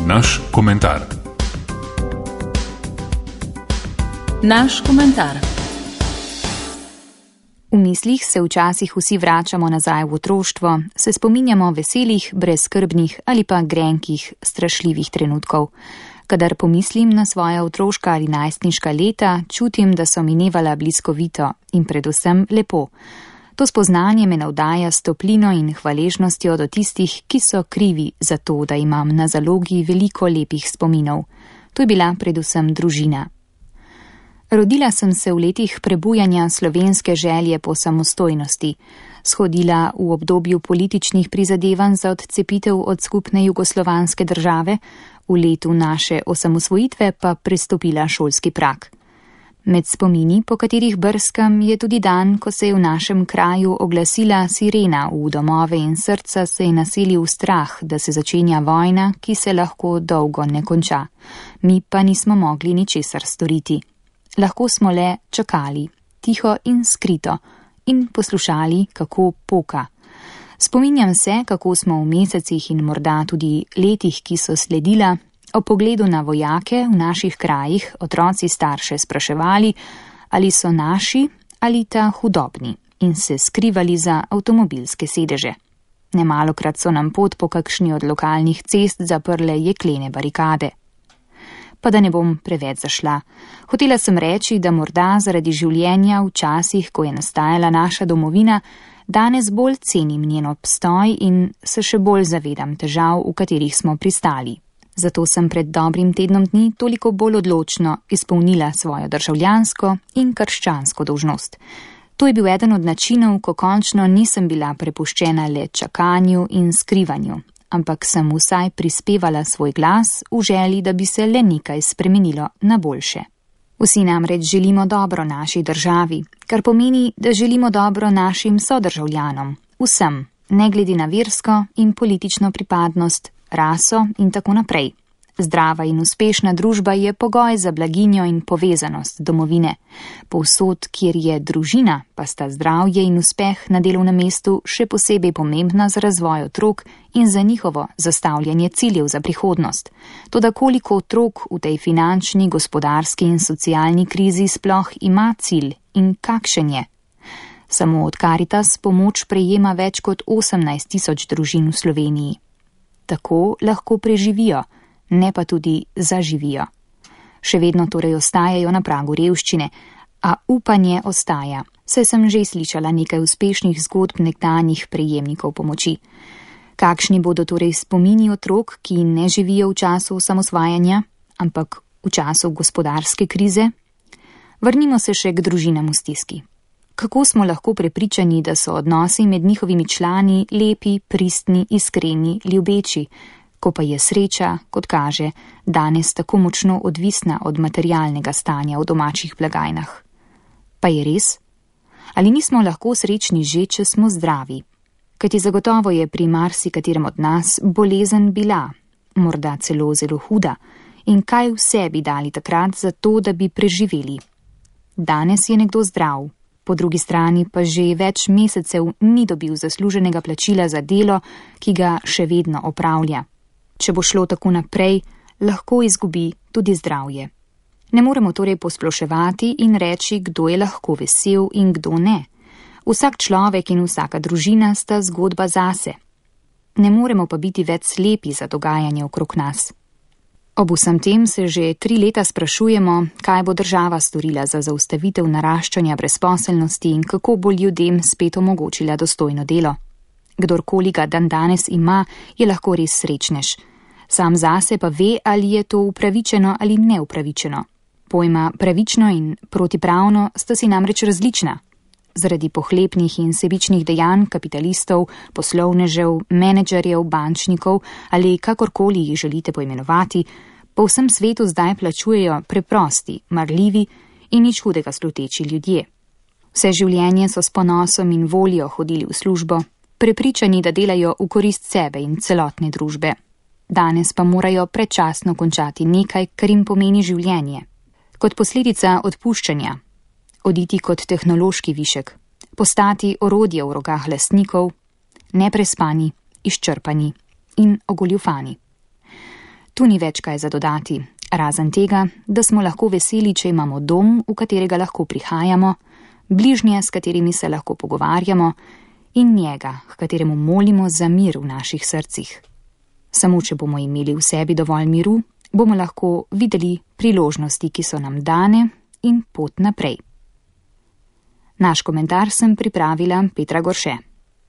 Naš komentar. Naš komentar. V mislih se včasih vsi vračamo nazaj v otroštvo, se spominjamo veselih, brezskrbnih ali pa grenkih, strašljivih trenutkov. Kadar pomislim na svoja otroška ali najstniška leta, čutim, da so minevala bliskovito in predvsem lepo. To spoznanje me navdaja s toplino in hvaležnostjo do tistih, ki so krivi za to, da imam na zalogi veliko lepih spominov. To je bila predvsem družina. Rodila sem se v letih prebujanja slovenske želje po samostojnosti, shodila v obdobju političnih prizadevanj za odcepitev od skupne jugoslovanske države, v letu naše osamosvojitve pa prestopila šolski prag. Med spomini, po katerih brskam, je tudi dan, ko se je v našem kraju oglasila sirena, v domove in srca se je naselil strah, da se začenja vojna, ki se lahko dolgo ne konča. Mi pa nismo mogli ničesar storiti. Lahko smo le čakali, tiho in skrito, in poslušali, kako poka. Spominjam se, kako smo v mesecih in morda tudi letih, ki so sledila, o pogledu na vojake v naših krajih otroci starše spraševali, ali so naši ali ta hudobni, in se skrivali za avtomobilske sedeže. Nemalokrat so nam pot po kakšni od lokalnih cest zaprle jeklene barikade. Pa da ne bom preveč zašla. Hotela sem reči, da morda zaradi življenja v časih, ko je nastajala naša domovina, danes bolj cenim njen obstoj in se še bolj zavedam težav, v katerih smo pristali. Zato sem pred dobrim tednom dni toliko bolj odločno izpolnila svojo državljansko in krščansko dolžnost. To je bil eden od načinov, ko končno nisem bila prepuščena le čakanju in skrivanju, ampak sem vsaj prispevala svoj glas v želji, da bi se le nekaj spremenilo na boljše. Vsi namreč želimo dobro naši državi, kar pomeni, da želimo dobro našim sodržavljanom, vsem, ne glede na versko in politično pripadnost, raso in tako naprej. Zdrava in uspešna družba je pogoj za blaginjo in povezanost domovine. Povsod, kjer je družina, pa sta zdravje in uspeh na delovnem mestu še posebej pomembna za razvoj otrok in za njihovo zastavljanje ciljev za prihodnost. Toda koliko otrok v tej finančni, gospodarski in socialni krizi sploh ima cilj in kakšen je? Samo od Karitas pomoč prejema več kot 18.000 družin v Sloveniji. Tako lahko preživijo, ne pa tudi zaživijo. Še vedno torej ostajajo na pragu revščine, a upanje ostaja. Saj sem že slišala nekaj uspešnih zgodb nekdanjih prejemnikov pomoči. Kakšni bodo torej spomini otrok, ki ne živijo v času osamosvajanja, ampak v času gospodarske krize? Vrnimo se še k družinam v stiski. Kako smo lahko prepričani, da so odnosi med njihovimi člani lepi, pristni, iskreni, ljubeči, ko pa je sreča, kot kaže, danes tako močno odvisna od materialnega stanja v domačih blagajnah? Pa je res? Ali nismo lahko srečni že, če smo zdravi? Kajti zagotovo je pri marsikaterem od nas bolezen bila, morda celo zelo huda, in kaj vse bi dali takrat za to, da bi preživeli? Danes je nekdo zdrav, po drugi strani pa že več mesecev ni dobil zasluženega plačila za delo, ki ga še vedno opravlja. Če bo šlo tako naprej, lahko izgubi tudi zdravje. Ne moremo torej posploševati in reči, kdo je lahko vesel in kdo ne. Vsak človek in vsaka družina sta zgodba zase. Ne moremo pa biti več slepi za dogajanje okrog nas. Ob vsem tem se že 3 leta sprašujemo, kaj bo država storila za zaustavitev naraščanja brezposelnosti in kako bo ljudem spet omogočila dostojno delo. Kdorkoli ga dandanes ima, je lahko res srečnež. Sam zase pa ve, ali je to upravičeno ali neupravičeno. Pojma pravično in protipravno sta si namreč različna. Zaradi pohlepnih in sebičnih dejanj kapitalistov, poslovnežev, menedžerjev, bančnikov ali kakorkoli jih želite poimenovati, po vsem svetu zdaj plačujejo preprosti, marljivi in nič hudega sluteči ljudje. Vse življenje so s ponosom in voljo hodili v službo, prepričani, da delajo v korist sebe in celotne družbe. Danes pa morajo predčasno končati nekaj, kar jim pomeni življenje. Kot posledica odpuščanja, oditi kot tehnološki višek, postati orodje v rokah lastnikov, neprespani, izčrpani in ogoljufani. Tu ni več kaj za dodati, razen tega, da smo lahko veseli, če imamo dom, v katerega lahko prihajamo, bližnje, s katerimi se lahko pogovarjamo, in njega, h kateremu molimo za mir v naših srcih. Samo če bomo imeli v sebi dovolj miru, bomo lahko videli priložnosti, ki so nam dane, in pot naprej. Naš komentar sem pripravila Petra Gorše.